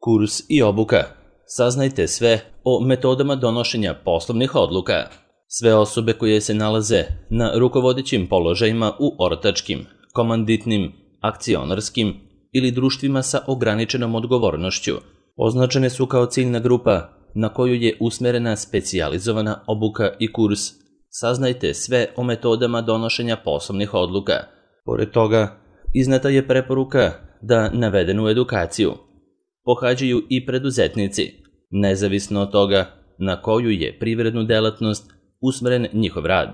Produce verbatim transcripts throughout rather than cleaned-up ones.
Kurs i obuka. Saznajte sve o metodama donošenja poslovnih odluka. Sve osobe koje se nalaze na rukovodećim položajima u ortačkim, komanditnim, akcionarskim ili društvima sa ograničenom odgovornošću označene su kao ciljna grupa na koju je usmerena specijalizovana obuka i kurs. Saznajte sve o metodama donošenja poslovnih odluka. Pored toga, izneta je preporuka da navedenu edukaciju pohađaju i preduzetnici, nezavisno od toga na koju je privrednu delatnost usmeren njihov rad.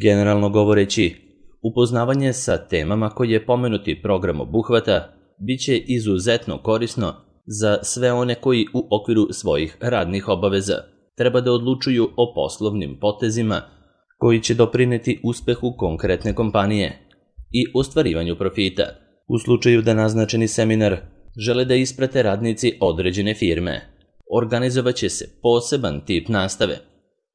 Generalno govoreći, upoznavanje sa temama koje pomenuti program obuhvata bit će izuzetno korisno za sve one koji u okviru svojih radnih obaveza treba da odlučuju o poslovnim potezima koji će doprineti uspehu konkretne kompanije i ostvarivanju profita. U slučaju da naznačeni seminar žele da isprate radnici određene firme, organizovaće se poseban tip nastave,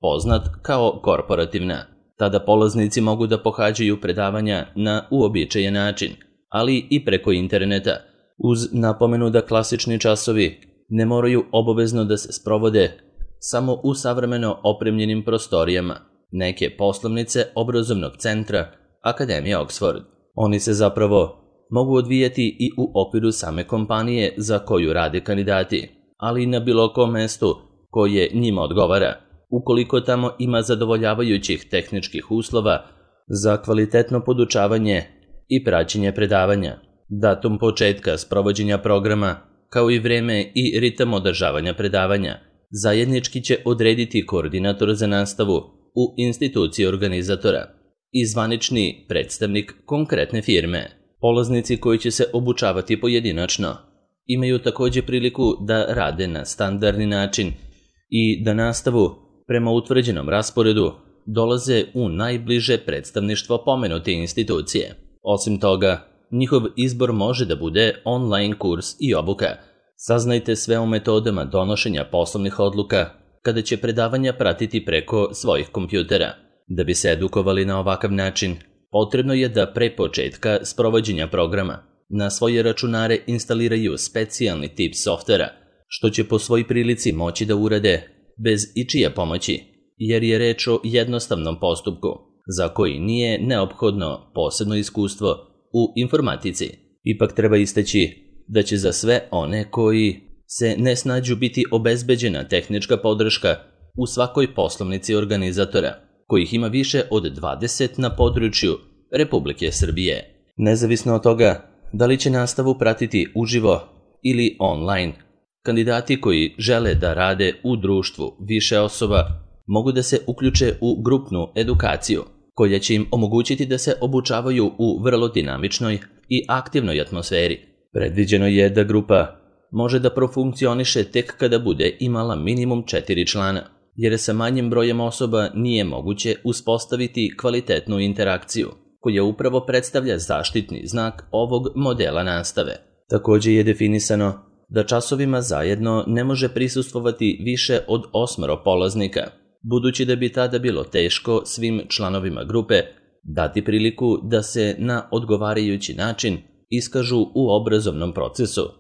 poznat kao korporativna. Tada polaznici mogu da pohađaju predavanja na uobičajen način, ali i preko interneta, uz napomenu da klasični časovi ne moraju obavezno da se sprovode samo u savremeno opremljenim prostorijama neke poslovnice obrazovnog centra Akademije Oxford. Oni se zapravo mogu odvijati i u okviru same kompanije za koju rade kandidati, ali i na bilo kom mestu koje njima odgovara, ukoliko tamo ima zadovoljavajućih tehničkih uslova za kvalitetno podučavanje i praćenje predavanja. Datum početka sprovođenja programa, kao i vreme i ritam održavanja predavanja, zajednički će odrediti koordinator za nastavu u instituciji organizatora i zvanični predstavnik konkretne firme. Polaznici koji će se obučavati pojedinačno imaju takođe priliku da rade na standardni način i da nastavu prema utvrđenom rasporedu dolaze u najbliže predstavništvo pomenute institucije. Osim toga, njihov izbor može da bude online kurs i obuka. Saznajte sve o metodama donošenja poslovnih odluka kada će predavanja pratiti preko svojih kompjutera. Da bi se edukovali na ovakav način, potrebno je da pre početka sprovođenja programa na svoje računare instaliraju specijalni tip softvera, što će po svoj prilici moći da urade bez ičije pomoći, jer je reč o jednostavnom postupku za koji nije neophodno posebno iskustvo u informatici. Ipak treba istaći da će za sve one koji se ne snađu biti obezbeđena tehnička podrška u svakoj poslovnici organizatora, kojih ima više od dvadeset na području Republike Srbije. Nezavisno od toga da li će nastavu pratiti uživo ili online, kandidati koji žele da rade u društvu više osoba mogu da se uključe u grupnu edukaciju, koja će im omogućiti da se obučavaju u vrlo dinamičnoj i aktivnoj atmosferi. Predviđeno je da grupa može da profunkcioniše tek kada bude imala minimum četiri člana, jer sa manjim brojem osoba nije moguće uspostaviti kvalitetnu interakciju, koja upravo predstavlja zaštitni znak ovog modela nastave. Takođe je definisano da časovima zajedno ne može prisustvovati više od osmoro polaznika, budući da bi tada bilo teško svim članovima grupe dati priliku da se na odgovarajući način iskažu u obrazovnom procesu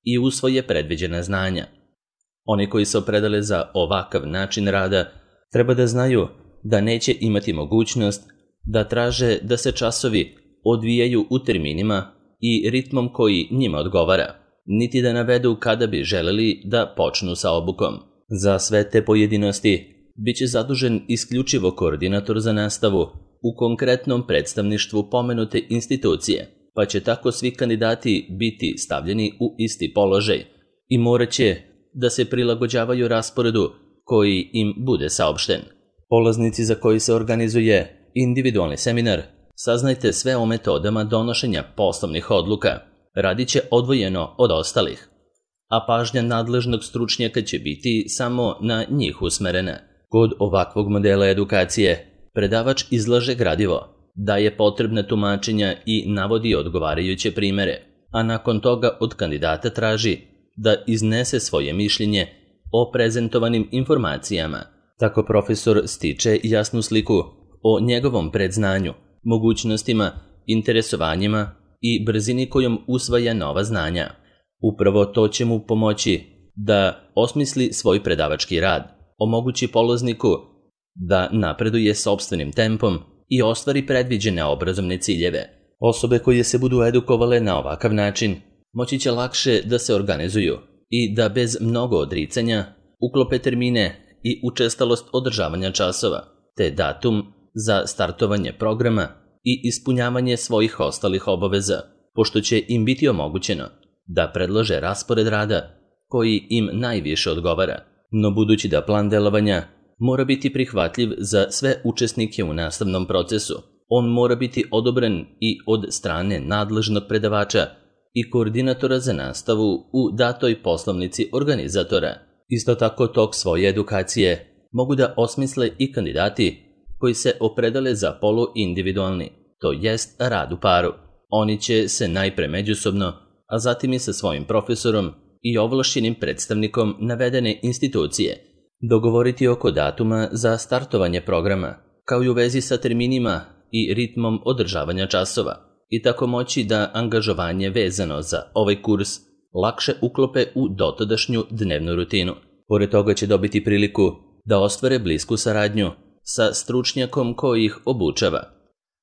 i usvoje predviđena znanja. Oni koji se opredele za ovakav način rada treba da znaju da neće imati mogućnost da traže da se časovi odvijaju u terminima i ritmom koji njima odgovara, niti da navedu kada bi želeli da počnu sa obukom. Za sve te pojedinosti biće zadužen isključivo koordinator za nastavu u konkretnom predstavništvu pomenute institucije, pa će tako svi kandidati biti stavljeni u isti položaj i morat će da se prilagođavaju rasporedu koji im bude saopšten. Polaznici za koji se organizuje individualni seminar, saznajte sve o metodama donošenja poslovnih odluka. Radit će odvojeno od ostalih, a pažnja nadležnog stručnjaka će biti samo na njih usmerena. Kod ovakvog modela edukacije, predavač izlaže gradivo, daje potrebna tumačenja i navodi odgovarajuće primere, a nakon toga od kandidata traži da iznese svoje mišljenje o prezentovanim informacijama. Tako profesor stiče jasnu sliku o njegovom predznanju, mogućnostima, interesovanjima i brzini kojom usvaja nova znanja. Upravo to će mu pomoći da osmisli svoj predavački rad, omogući polazniku da napreduje sopstvenim tempom i ostvari predviđene obrazovne ciljeve. Osobe koje se budu edukovale na ovakav način moći će lakše da se organizuju i da bez mnogo odricanja uklope termine i učestalost održavanja časova, te datum za startovanje programa i ispunjavanje svojih ostalih obaveza, pošto će im biti omogućeno da predlože raspored rada koji im najviše odgovara. No budući da plan delovanja mora biti prihvatljiv za sve učesnike u nastavnom procesu, on mora biti odobren i od strane nadležnog predavača i koordinatora za nastavu u datoj poslovnici organizatora. Isto tako tok svoje edukacije mogu da osmisle i kandidati koji se opredele za poluindividualni, to jest rad u paru. Oni će se najpre međusobno, a zatim i sa svojim profesorom i ovlašćenim predstavnikom navedene institucije dogovoriti oko datuma za startovanje programa, kao i u vezi sa terminima i ritmom održavanja časova, i tako moći da angažovanje vezano za ovaj kurs lakše uklope u dotadašnju dnevnu rutinu. Pored toga će dobiti priliku da ostvare blisku saradnju sa stručnjakom koji ih obučava,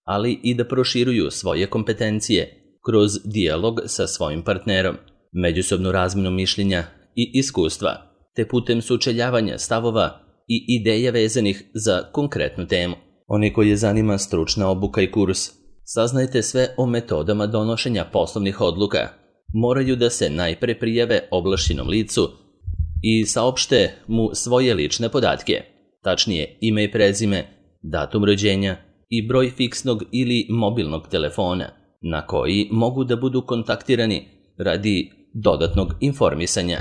ali i da proširuju svoje kompetencije kroz dijalog sa svojim partnerom, međusobnu razmenu mišljenja i iskustva, te putem sučeljavanja stavova i ideja vezanih za konkretnu temu. Oni koji je zanima stručna obuka i kurs, saznajte sve o metodama donošenja poslovnih odluka, moraju da se najpre prijave ovlašćenom licu i saopšte mu svoje lične podatke, tačnije ime i prezime, datum rođenja i broj fiksnog ili mobilnog telefona, na koji mogu da budu kontaktirani radi dodatnog informisanja.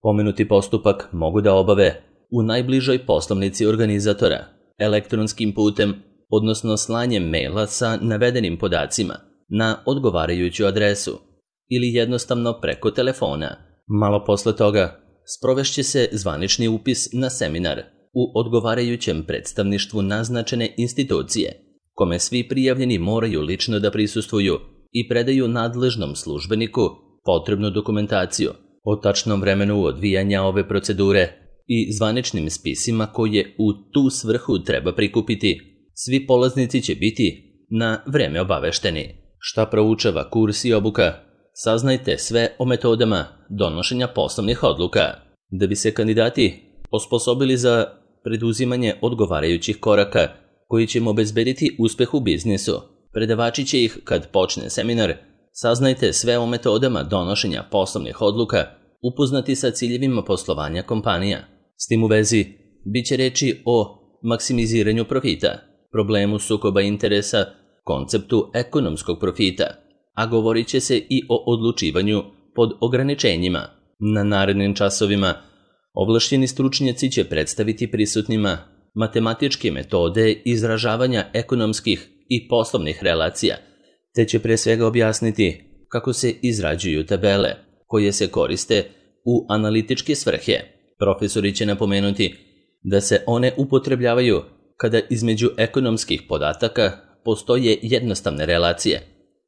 Pomenuti postupak mogu da obave u najbližoj poslovnici organizatora, elektronskim putem, odnosno slanjem maila sa navedenim podacima na odgovarajuću adresu ili jednostavno preko telefona. Malo posle toga sprovešće se zvanični upis na seminar u odgovarajućem predstavništvu naznačene institucije, kome svi prijavljeni moraju lično da prisustvuju i predaju nadležnom službeniku potrebnu dokumentaciju o tačnom vremenu odvijanja ove procedure i zvaničnim spisima koje u tu svrhu treba prikupiti. Svi polaznici će biti na vreme obavešteni. Šta proučava kurs i obuka? Saznajte sve o metodama donošenja poslovnih odluka. Da bi se kandidati osposobili za preduzimanje odgovarajućih koraka koji će im obezbediti uspeh u biznisu, predavači će ih, kad počne seminar, saznajte sve o metodama donošenja poslovnih odluka, upoznati sa ciljevima poslovanja kompanija. S tim u vezi, bit će reči o maksimiziranju profita, problemu sukoba interesa, konceptu ekonomskog profita, a govorit će se i o odlučivanju pod ograničenjima. Na narednim časovima ovlašćeni stručnjaci će predstaviti prisutnima matematičke metode izražavanja ekonomskih i poslovnih relacija, te će pre svega objasniti kako se izrađuju tabele koje se koriste u analitičke svrhe. Profesori će napomenuti da se one upotrebljavaju kada između ekonomskih podataka postoje jednostavne relacije,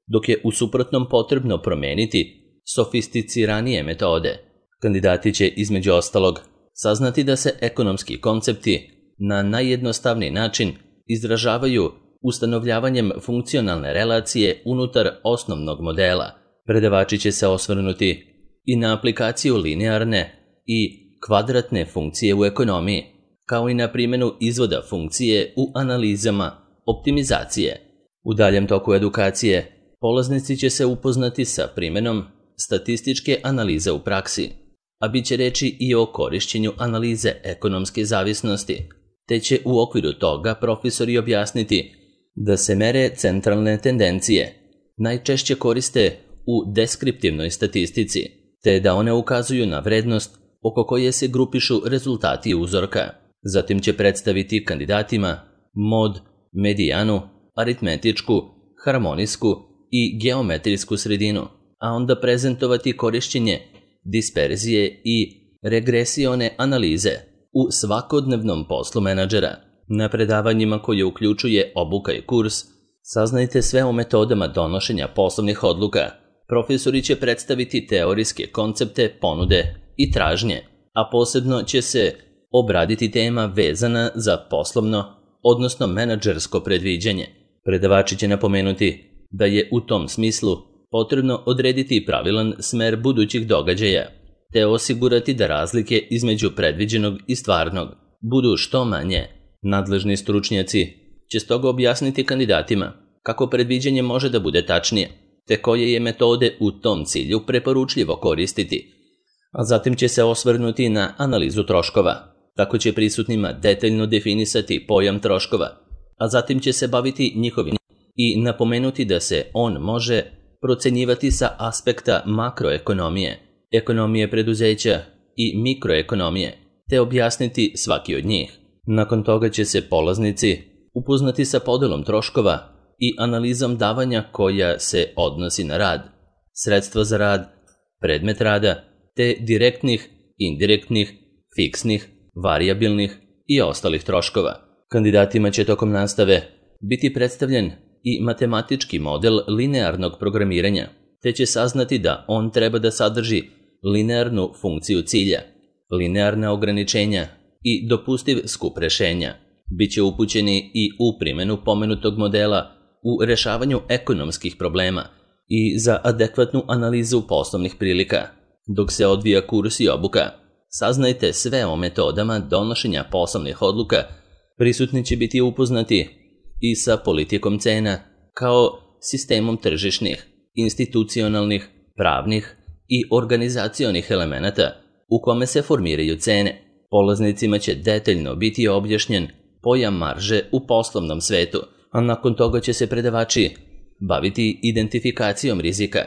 dok je u suprotnom potrebno promeniti sofisticiranije metode. Kandidati će između ostalog saznati da se ekonomski koncepti na najjednostavniji način izražavaju ustanovljavanjem funkcionalne relacije unutar osnovnog modela. Predavači će se osvrnuti i na aplikaciju linearne i kvadratne funkcije u ekonomiji, kao i na primjenu izvoda funkcije u analizama optimizacije. U daljem toku edukacije polaznici će se upoznati sa primjenom statističke analize u praksi, a bit će reči i o korišćenju analize ekonomske zavisnosti, te će u okviru toga profesori objasniti da se mere centralne tendencije najčešće koriste u deskriptivnoj statistici, te da one ukazuju na vrednost oko koje se grupišu rezultati uzorka. Zatim će predstaviti kandidatima mod, medijanu, aritmetičku, harmonijsku i geometrijsku sredinu, a onda prezentovati korišćenje disperzije i regresione analize u svakodnevnom poslu menadžera. Na predavanjima koje uključuje obuka i kurs, saznajte sve o metodama donošenja poslovnih odluka, Profesori će predstaviti teorijske koncepte, ponude i tražnje, a posebno će se obraditi tema vezana za poslovno, odnosno menadžersko predviđanje. Predavači će napomenuti da je u tom smislu potrebno odrediti pravilan smer budućih događaja, te osigurati da razlike između predviđenog i stvarnog budu što manje. Nadležni stručnjaci će stoga objasniti kandidatima kako predviđanje može da bude tačnije, te koje je metode u tom cilju preporučljivo koristiti. A zatim će se osvrnuti na analizu troškova. Tako će prisutnima detaljno definisati pojam troškova, a zatim će se baviti njihovim i napomenuti da se on može procenjivati sa aspekta makroekonomije, ekonomije preduzeća i mikroekonomije, te objasniti svaki od njih. Nakon toga će se polaznici upoznati sa podelom troškova i analizom davanja koja se odnosi na rad, sredstva za rad, predmet rada, te direktnih, indirektnih, fiksnih, varijabilnih i ostalih troškova. Kandidatima će tokom nastave biti predstavljen i matematički model linearnog programiranja, te će saznati da on treba da sadrži linearnu funkciju cilja, linearna ograničenja i dopustiv skup rešenja. Biće upućeni i u primjenu pomenutog modela u rešavanju ekonomskih problema i za adekvatnu analizu poslovnih prilika. Dok se odvija kurs i obuka, saznajte sve o metodama donošenja poslovnih odluka, prisutni će biti upoznati i sa politikom cena kao sistemom tržišnih, institucionalnih, pravnih i organizacionih elemenata u kome se formiraju cene. Polaznicima će detaljno biti objašnjen pojam marže u poslovnom svetu, a nakon toga će se predavači baviti identifikacijom rizika,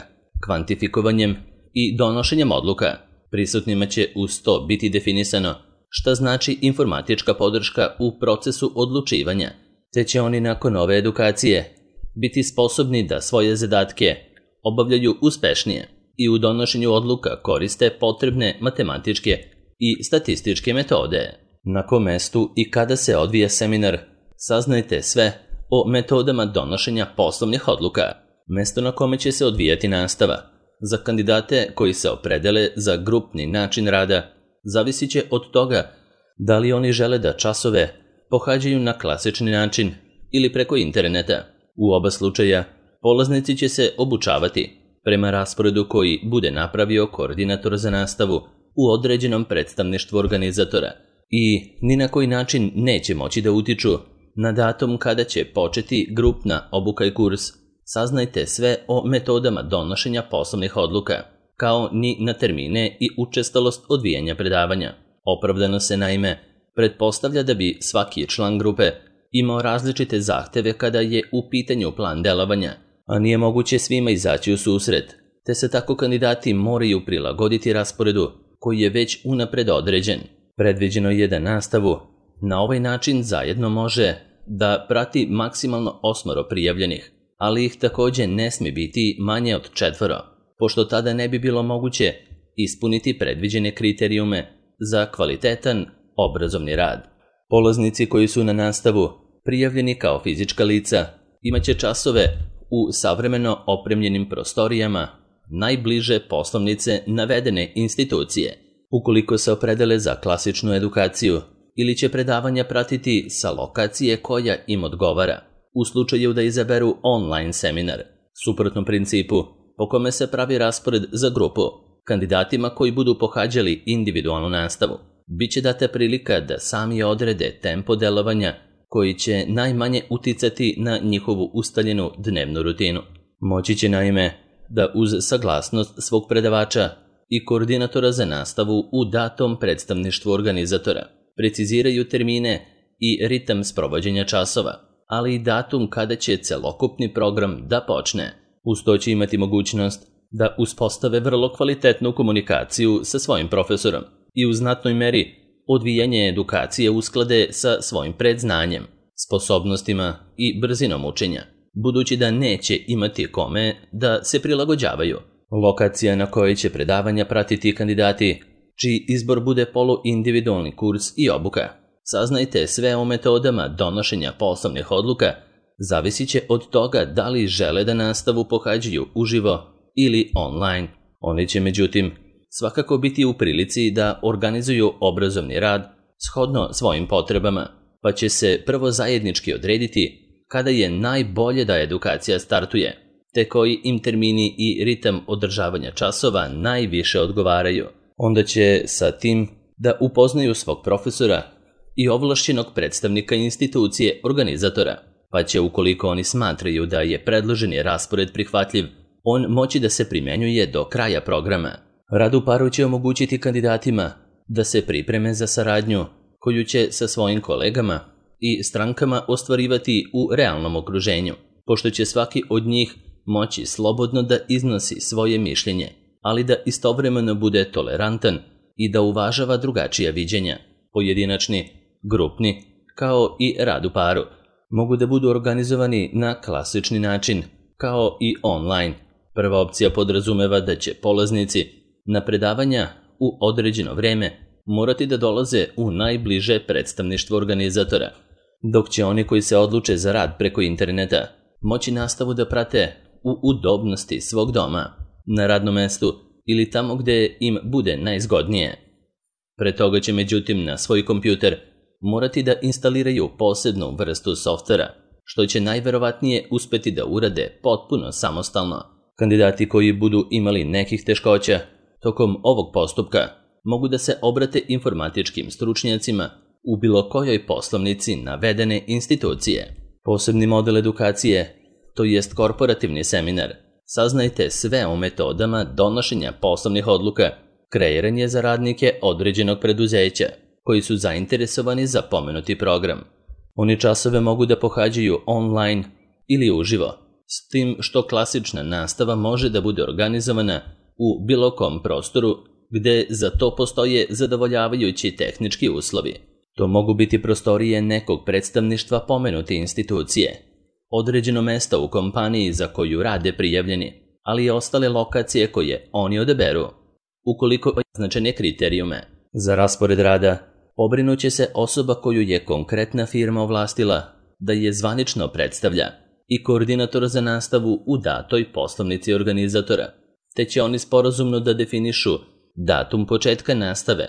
kvantifikovanjem i donošenjem odluka. Prisutnima će uz to biti definisano šta znači informatička podrška u procesu odlučivanja, te će oni nakon ove edukacije biti sposobni da svoje zadatke obavljaju uspešnije i u donošenju odluka koriste potrebne matematičke i statističke metode. Na kom mestu i kada se odvija seminar, saznajte sve o metodama donošenja poslovnih odluka. Mesto na kome će se odvijati nastava za kandidate koji se opredele za grupni način rada zavisit će od toga da li oni žele da časove pohađaju na klasični način ili preko interneta. U oba slučaja polaznici će se obučavati prema rasporedu koji bude napravio koordinator za nastavu u određenom predstavništvu organizatora i ni na koji način neće moći da utiču na datum kada će početi grupna obuka i kurs. Saznajte sve o metodama donošenja poslovnih odluka, kao ni na termine i učestalost odvijanja predavanja. Opravdano se naime pretpostavlja da bi svaki član grupe imao različite zahteve kada je u pitanju plan delovanja, a nije moguće svima izaći u susret, te se tako kandidati moraju prilagoditi rasporedu koji je već unapred određen. Predviđeno je da nastavu na ovaj način zajedno može da prati maksimalno osmoro prijavljenih, ali ih takođe ne smije biti manje od četvoro, pošto tada ne bi bilo moguće ispuniti predviđene kriterijume za kvalitetan obrazovni rad. Polaznici koji su na nastavu prijavljeni kao fizička lica imaće časove u savremeno opremljenim prostorijama najbliže poslovnice navedene institucije. Ukoliko se opredele za klasičnu edukaciju ili će predavanja pratiti sa lokacije koja im odgovara, u slučaju da izaberu online seminar, suprotnom principu po kome se pravi raspored za grupu, kandidatima koji budu pohađali individualnu nastavu, bit će data prilika da sami odrede tempo delovanja koji će najmanje uticati na njihovu ustaljenu dnevnu rutinu. Moći će naime da uz saglasnost svog predavača i koordinatora za nastavu u datom predstavništvu organizatora preciziraju termine i ritam sprovođenja časova, ali i datum kada će celokupni program da počne. Uz to će imati mogućnost da uspostave vrlo kvalitetnu komunikaciju sa svojim profesorom i u znatnoj meri odvijanje edukacije usklade sa svojim predznanjem, sposobnostima i brzinom učenja, budući da neće imati kome da se prilagođavaju. Lokacija na kojoj će predavanja pratiti kandidati, čiji izbor bude poluindividualni kurs i obuka. Saznajte sve o metodama donošenja poslovnih odluka, zavisit će od toga da li žele da nastavu pohađaju uživo ili online. Oni će međutim svakako biti u prilici da organizuju obrazovni rad shodno svojim potrebama, pa će se prvo zajednički odrediti kada je najbolje da edukacija startuje, te koji im termini i ritam održavanja časova najviše odgovaraju. Onda će sa tim da upoznaju svog profesora i ovlašćenog predstavnika institucije organizatora, pa će ukoliko oni smatraju da je predloženi raspored prihvatljiv, on moći da se primenjuje do kraja programa. Rad u paru će omogućiti kandidatima da se pripreme za saradnju koju će sa svojim kolegama i strankama ostvarivati u realnom okruženju, pošto će svaki od njih moći slobodno da iznosi svoje mišljenje, ali da istovremeno bude tolerantan i da uvažava drugačija viđenja. Pojedinačni, grupni, kao i rad u paru mogu da budu organizovani na klasični način, kao i online. Prva opcija podrazumeva da će polaznici na predavanja u određeno vreme morati da dolaze u najbliže predstavništvo organizatora, dok će oni koji se odluče za rad preko interneta moći nastavu da prate u udobnosti svog doma, na radnom mestu ili tamo gde im bude najzgodnije. Pre toga će međutim na svoj kompjuter morati da instaliraju posebnu vrstu softvera, što će najverovatnije uspeti da urade potpuno samostalno. Kandidati koji budu imali nekih teškoća tokom ovog postupka mogu da se obrate informatičkim stručnjacima u bilo kojoj poslovnici navedene institucije. Posebni model edukacije, to jest korporativni seminar, saznajte sve o metodama donošenja poslovnih odluka, kreiranje za radnike određenog preduzeća koji su zainteresovani za pomenuti program. Oni časove mogu da pohađaju online ili uživo, s tim što klasična nastava može da bude organizovana u bilo kom prostoru gde za to postoje zadovoljavajući tehnički uslovi. To mogu biti prostorije nekog predstavništva pomenute institucije, određeno mesto u kompaniji za koju rade prijavljeni, ali i ostale lokacije koje oni odaberu. Ukoliko označene kriterijume za raspored rada, pobrinuće se osoba koju je konkretna firma ovlastila da je zvanično predstavlja i koordinator za nastavu u datoj poslovnici organizatora, te će oni sporazumno da definišu datum početka nastave,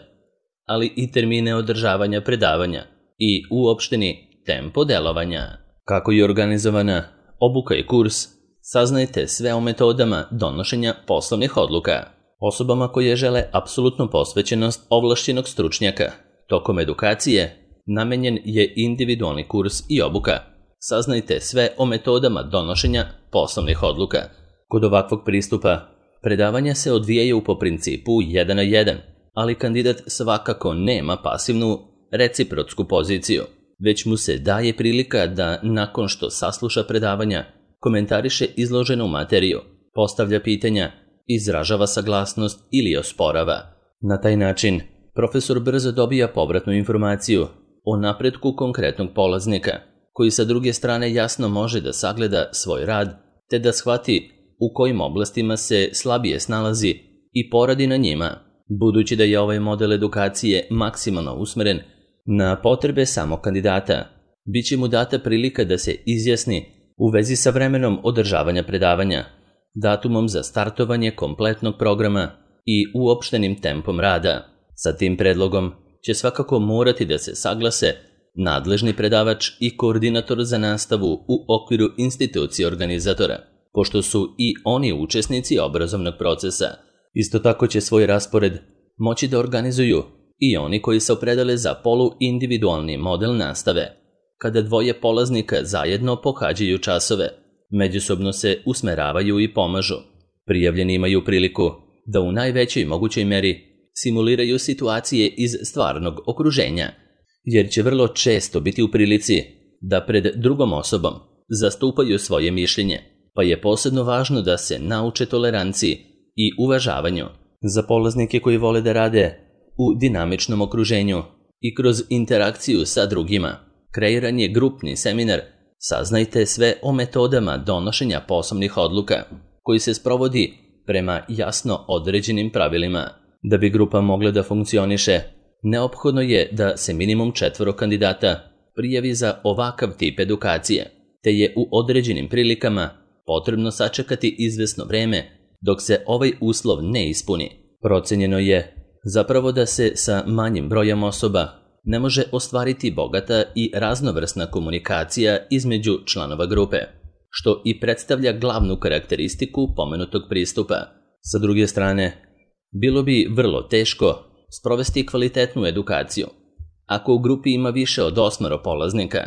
ali i termine održavanja predavanja i uopšteni tempo delovanja. Kako je organizovana obuka i kurs, saznajte sve o metodama donošenja poslovnih odluka. Osobama koje žele apsolutnu posvećenost ovlašćenog stručnjaka tokom edukacije namenjen je individualni kurs i obuka. Saznajte sve o metodama donošenja poslovnih odluka. Kod ovakvog pristupa predavanja se odvijaju po principu jedan na jedan, ali kandidat svakako nema pasivnu reciprotsku poziciju, već mu se daje prilika da nakon što sasluša predavanja komentariše izloženu materiju, postavlja pitanja, izražava saglasnost ili osporava. Na taj način profesor brzo dobija povratnu informaciju o napretku konkretnog polaznika, koji sa druge strane jasno može da sagleda svoj rad te da shvati u kojim oblastima se slabije snalazi i poradi na njima. Budući da je ovaj model edukacije maksimalno usmeren na potrebe samog kandidata, bit će mu data prilika da se izjasni u vezi sa vremenom održavanja predavanja, datumom za startovanje kompletnog programa i uopštenim tempom rada. Sa tim predlogom će svakako morati da se saglase nadležni predavač i koordinator za nastavu u okviru institucije organizatora, pošto su i oni učesnici obrazovnog procesa. Isto tako će svoj raspored moći da organizuju i oni koji se opredele za poluindividualni model nastave, kada dvoje polaznika zajedno pohađaju časove, međusobno se usmeravaju i pomažu. Prijavljeni imaju priliku da u najvećoj mogućoj meri simuliraju situacije iz stvarnog okruženja, jer će vrlo često biti u prilici da pred drugom osobom zastupaju svoje mišljenje, pa je posebno važno da se nauče toleranciji i uvažavanju. Za polaznike koji vole da rade u dinamičnom okruženju i kroz interakciju sa drugima, kreiran je grupni seminar Saznajte sve o metodama donošenja poslovnih odluka, koji se sprovodi prema jasno određenim pravilima. Da bi grupa mogla da funkcioniše, neophodno je da se minimum četvoro kandidata prijavi za ovakav tip edukacije, te je u određenim prilikama potrebno sačekati izvesno vreme Dok se ovaj uslov ne ispuni, procenjeno je zapravo da se sa manjim brojem osoba ne može ostvariti bogata i raznovrsna komunikacija između članova grupe, što i predstavlja glavnu karakteristiku pomenutog pristupa. Sa druge strane, bilo bi vrlo teško sprovesti kvalitetnu edukaciju ako u grupi ima više od osmero polaznika,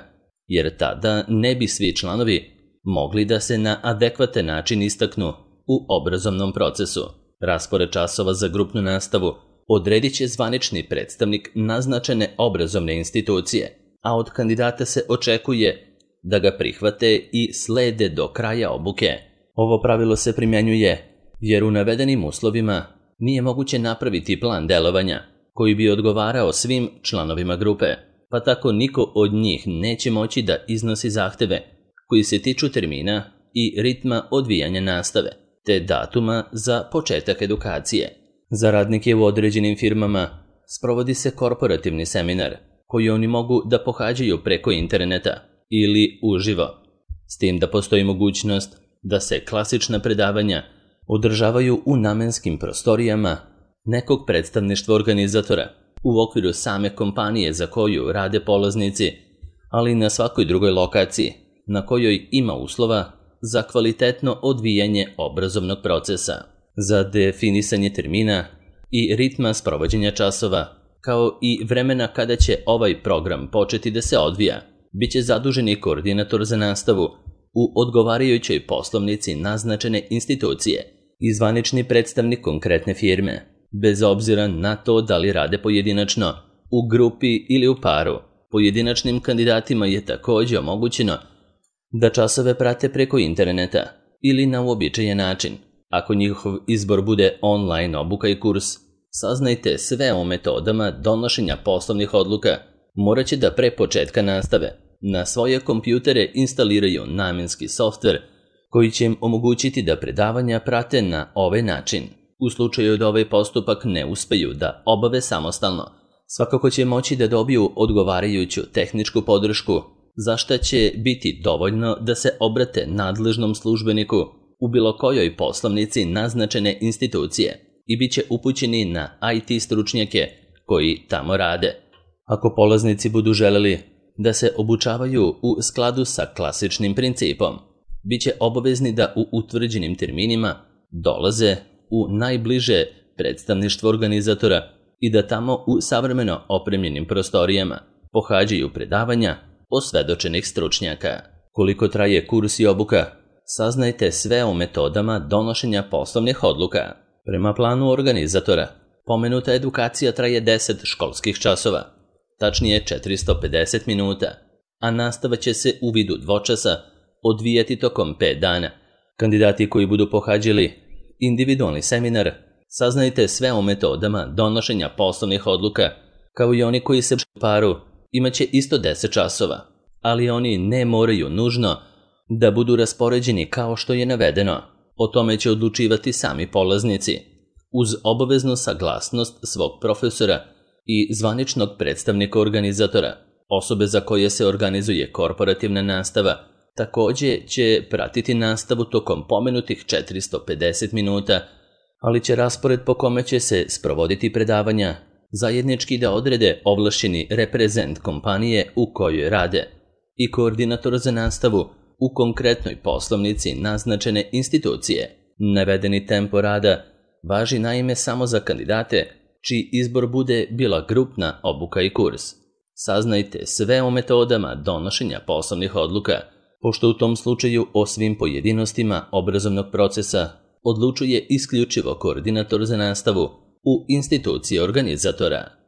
jer tada ne bi svi članovi mogli da se na adekvatan način istaknu u obrazovnom procesu. Raspored časova za grupnu nastavu odredit će zvanični predstavnik naznačene obrazovne institucije, a od kandidata se očekuje da ga prihvate i slede do kraja obuke. Ovo pravilo se primjenjuje jer u navedenim uslovima nije moguće napraviti plan delovanja koji bi odgovarao svim članovima grupe, pa tako niko od njih neće moći da iznosi zahteve koji se tiču termina i ritma odvijanja nastave, te datuma za početak edukacije. Za radnike u određenim firmama sprovodi se korporativni seminar koji oni mogu da pohađaju preko interneta ili uživo, s tim da postoji mogućnost da se klasična predavanja održavaju u namenskim prostorijama nekog predstavništva organizatora u okviru same kompanije za koju rade polaznici, ali i na svakoj drugoj lokaciji na kojoj ima uslova za kvalitetno odvijanje obrazovnog procesa. Za definisanje termina i ritma sprovođenja časova, kao i vremena kada će ovaj program početi da se odvija, bit će zaduženi koordinator za nastavu u odgovarajućoj poslovnici naznačene institucije i zvanični predstavnik konkretne firme, bez obzira na to da li rade pojedinačno, u grupi ili u paru. Pojedinačnim kandidatima je također omogućeno da časove prate preko interneta ili na uobičajen način. Ako njihov izbor bude online obuka i kurs, saznajte sve o metodama donošenja poslovnih odluka. Morat će da pre početka nastave na svoje kompjutere instaliraju namenski softver koji će im omogućiti da predavanja prate na ovaj način. U slučaju da ovaj postupak ne uspeju da obave samostalno, svakako će moći da dobiju odgovarajuću tehničku podršku, za šta će biti dovoljno da se obrate nadležnom službeniku u bilo kojoj poslovnici naznačene institucije i bit će upućeni na I T stručnjake koji tamo rade. Ako polaznici budu želeli da se obučavaju u skladu sa klasičnim principom, bit će obavezni da u utvrđenim terminima dolaze u najbliže predstavništvo organizatora i da tamo u savremeno opremljenim prostorijama pohađaju predavanja osvedočenih stručnjaka. Koliko traje kurs i obuka, saznajte sve o metodama donošenja poslovnih odluka. Prema planu organizatora, pomenuta edukacija traje deset školskih časova, tačnije četiristo pedeset minuta, a nastava će se u vidu dvočasa odvijati tokom pet dana. Kandidati koji budu pohađali individualni seminar, saznajte sve o metodama donošenja poslovnih odluka, kao i oni koji se u paru imaće isto deset časova, ali oni ne moraju nužno da budu raspoređeni kao što je navedeno. O tome će odlučivati sami polaznici, uz obaveznu saglasnost svog profesora i zvaničnog predstavnika organizatora. Osobe za koje se organizuje korporativna nastava također će pratiti nastavu tokom pomenutih četiristo pedeset minuta, ali će raspored po kome će se sprovoditi predavanja zajednički da odrede ovlašćeni reprezent kompanije u kojoj rade i koordinator za nastavu u konkretnoj poslovnici naznačene institucije. Navedeni tempo rada važi naime samo za kandidate čiji izbor bude bila grupna obuka i kurs. Saznajte sve o metodama donošenja poslovnih odluka, pošto u tom slučaju o svim pojedinostima obrazovnog procesa odlučuje isključivo koordinator za nastavu u instituciji organizatora.